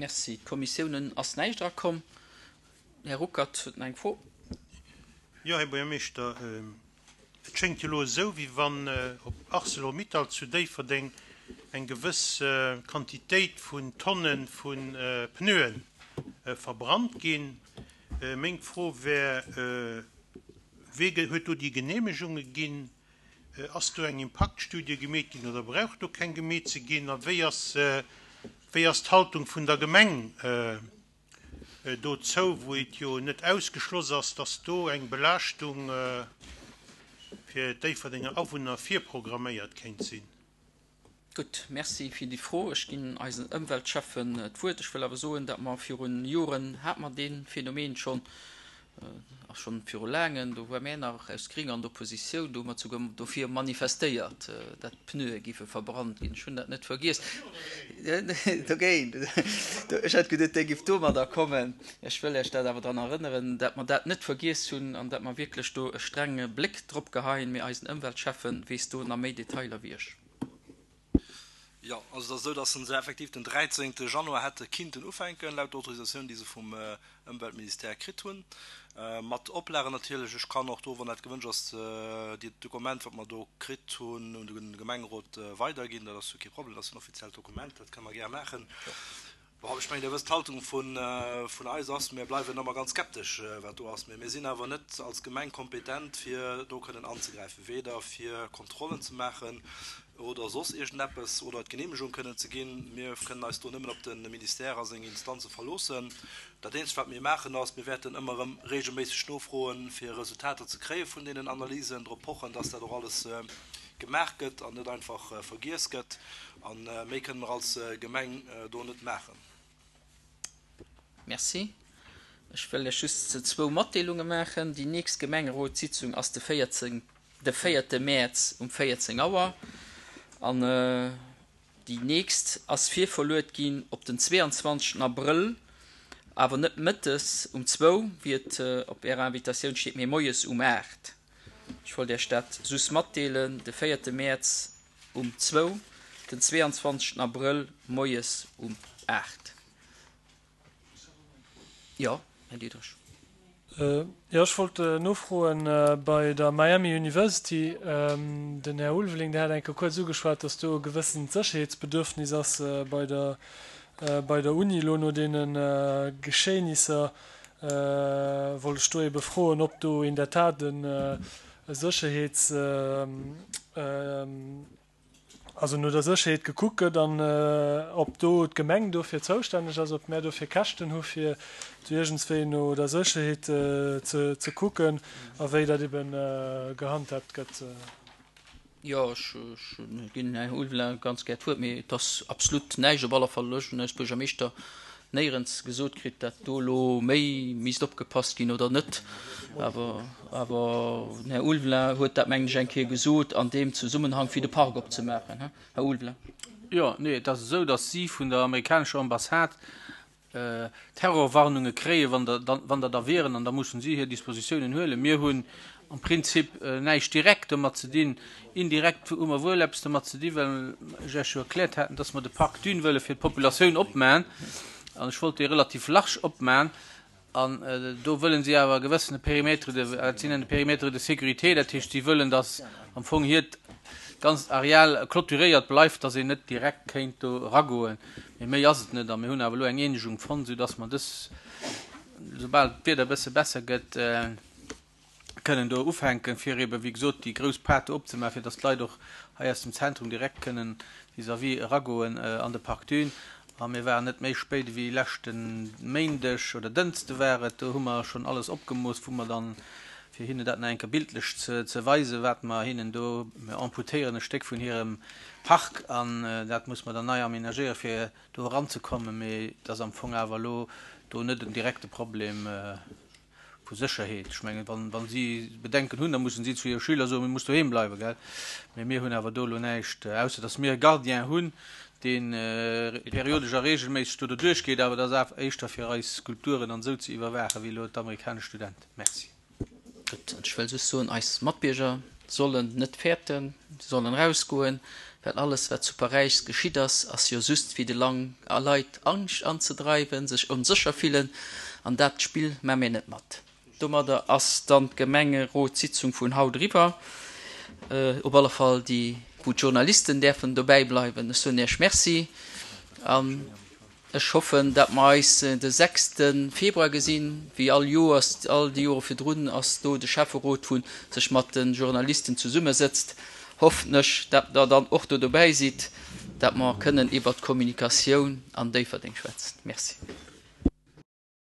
Merci. D'Kommissiounen ass näischt erakomm. Här Ruckert huet nach eng Fro. Jo, Här Buergermeeschter, et schéngt jo elo esou, wéi wann op Arcelor-Mittal zu Déifferdeng eng gewëss Quantitéit vun Tonne vu Pneue verbrannt ginn. Meng Fro wär, Wee huet do déi Geneemegunge ginn? Ass do eng Impaktstudie gemeet ginn oder brauch do keng gemeet ze ginn? A wéi ass, wéi ass d'Haltung vun der Gemeng dozou, wou et jo net ausgeschloss ass, dass do eng Belaaschtung fir d'Déifferdenger Awunner virprogramméiert kéint sinn? Gutt, Merci fir déi Fro. Ech ginn eisen Ëmweltschäffen d'Wuert. Ech wëll awer soen, datt mer virun Joren hate mer dee Phänomen schonn, a schonn viru laangen, do war mär nach aus Gring an der Oppositioun, do hu mer souguer dofir manifestéiert, datt d'Pneue géife verbrannt ginn. Ech hunn dat net vergiess. Dogéint. Ech hat geduet, Dir giff domadder kommen. Ech wëll Iech dat awer dran erënneren, datt mer dat net vergiess hunn an datt mer wierklech do e strenge Bléck drop geheien. Mee eisen Ëmweltschäffe weess do nach méi Detailer wéi ech. Jo, also et ass esou, datt se effektiv den 13 Januar hätte kinnten ufänken, laut der Autorisatioun, déi se vum Ëmweltministère kritt hunn, mat Oplagen natierlech. Ech kann och do, wann dat gewënscht ass, déi Dokument, wat mer do kritt hunn, un de Gemengerot weiderginn. Dat ass jo kee Problem, dat ass en offiziellt Dokument, dat kënne mer gär maachen. Bon, ech mengen, Dir wësst, d'Haltung vun eis ass, mir bleiwen ëmmer ganz skeptesch, wat do ass. Mee mir sinn awer net als Gemeng kompetent, fir do kënnen anzegräifen, weder fir Kontrollen ze maachen oder soss iergendeppes oder d'Geneemegung kënnen ze ginn. Mir kënnen eis do nëmmen op de Ministère a seng Instanze verloossen. Dat Eenzegt, wat mir maachen, ass, mir wäerten ëmmer erëm reegelméisseg nofroen, fir Resultater ze kréie vun deenen Analysen, drop pochen, dass dat och alles gemaach gëtt an net einfach vergiess gëtt. A méi kënne mer als Gemeng do net maachen. Merci. Ech wëll lech just zwou Matdeelunge maachen. Déi nächst Gemengerotssitzung ass de 14, de véierte Mäerz um 14 Auer. An déi nächst ass virverluet ginn op den 22. Abrëll, awer net mëttes um zwou, wéi et op Ärer Invitatioun steet, mee moies um 8. Ech wollt Iech dat just matdeelen, de véierte Mäerz um zwou, den 22 Abrëll moies um 8. Jo, Här Diderich. Jo, ech wollt nofroen bei der Miami University. Den Här Ulveling, deen hat eng Kéier kuerz ugeschwat, datt do e gewëssent Sécherheetsbedürfnis ass bei der, bei der Uni elo no deene Geschehnisser. Wollt ech do ebe froen, ob do in der Tat e Sécherheets, also no der Sécherheet gekuckt gëtt an ob do d'Gemeng dofir zoustänneg ass, ob mär dofir Käschten hu fir do iergendswéi no der Sécherheet ze kucken a wéi dat ebe gehandhabt gëtt. Jo, ech ginn dem Här Ulveling ganz gär d'Wuert, mee et ass absolut näischt, op alle Fall ech hunn als Buergermeeschter néierens gesot kritt, datt do elo méi misst opgepasst ginn oder net. Awer, awer den Här Ulveling huet dat, mengen ech, eng Kéier gesot an deem Zesummenhang, fir de Park opzemaachen. Här Ulveling. Jo, nee, et ass esou, datt si vun der amerikanescher Ambassade Terrorwarnunge kréien, wann der wann der da wieren, an da mussen si hir Dispositiounen huelen. Mir hunn am Prinzip näischt direkt domat ze dinn. Indirekt hu mer wuel eppes domat ze dinn, well ech Iech jo erkläert haten, dass mer de Parc Dune wëlle fir d'Populatioun opmaen. An ech wollt dee relativ large opmaen. An do wëllen si awer e gewëssene Périmètre de, dat si nennen Périmètre de sécurité, dat heescht, si wëllen, dass am Fong hiert ganzt Areal clôturéiert bleift, dass een net direkt kéint do eragoen. Mee méi ass et net. A mir hunn awer elo eng Eenegung fonnt, soudass mer dës, soubal d'Wieder e bësse besser gëtt, kënnen do ufänken, fir eeben, wéi gesot, déi grouss Paart do opzemaachen, fir dass d'Leit och hei aus dem Zentrum direkt kënnen vis-à-vis eragoen an de Parc Dune. A mir waren net méi spéit ewéi leschte Méindeg oder Dënschde war et, do hu mer schonn alles opgemooss, wou mer dann, fir hinnen dat nach eng Kéier bildlech ze weisen, wat mer hinnen do, mir amputéieren e Stéck vun hirem Park an dat muss mer dann nei aménagéieren, fir do eranzekommen. Mee et ass am Fong awer elo do net en direkte Problem vu Sécherheet. Ech mengen, wann, wa si Bedenken hunn, da mussen si zu hire Schüler soen, Mir muss doheem bleiwen, gell. Mee mir hunn awer do elo näischt, ausser datt mir e Gardien hunn, dee periodesch a reegelméisseg do doduerch geet. Awer dat ass éischter fir eis Skulpturen an esou ze iwwerwaachen, wéi elo d'amerikanesch Studenten. Merci. Gutt, an ech wëll just soen, eis Matbierger sollen net fäerten, se sollen erausgoen. Well alles wat zu Paräis geschitt ass, ass jo just fir de Leit Angscht anzedreiwen, sech onsécher fillen, an dat Spill maa mir net mat. Domadder ass dann d'Gemengerotssitzung vun haut eriwwer, op alle Fall déi wou d'Journalisten däerfen dobäi bleiwen. Ech soen Iech Merci an ech hoffen, dat mer eis de sechste Februar gesinn. Wéi all Joers, all déi Jore virdrun ass do de Schäfferot wou sech mat de Journalisten zesummesëtzt. Hoffen ech, dat Der dann och do dobäi sidd, dat mer kënnen iwwert d'Kommunikatioun an Déifferdeng schwätzen. Merci.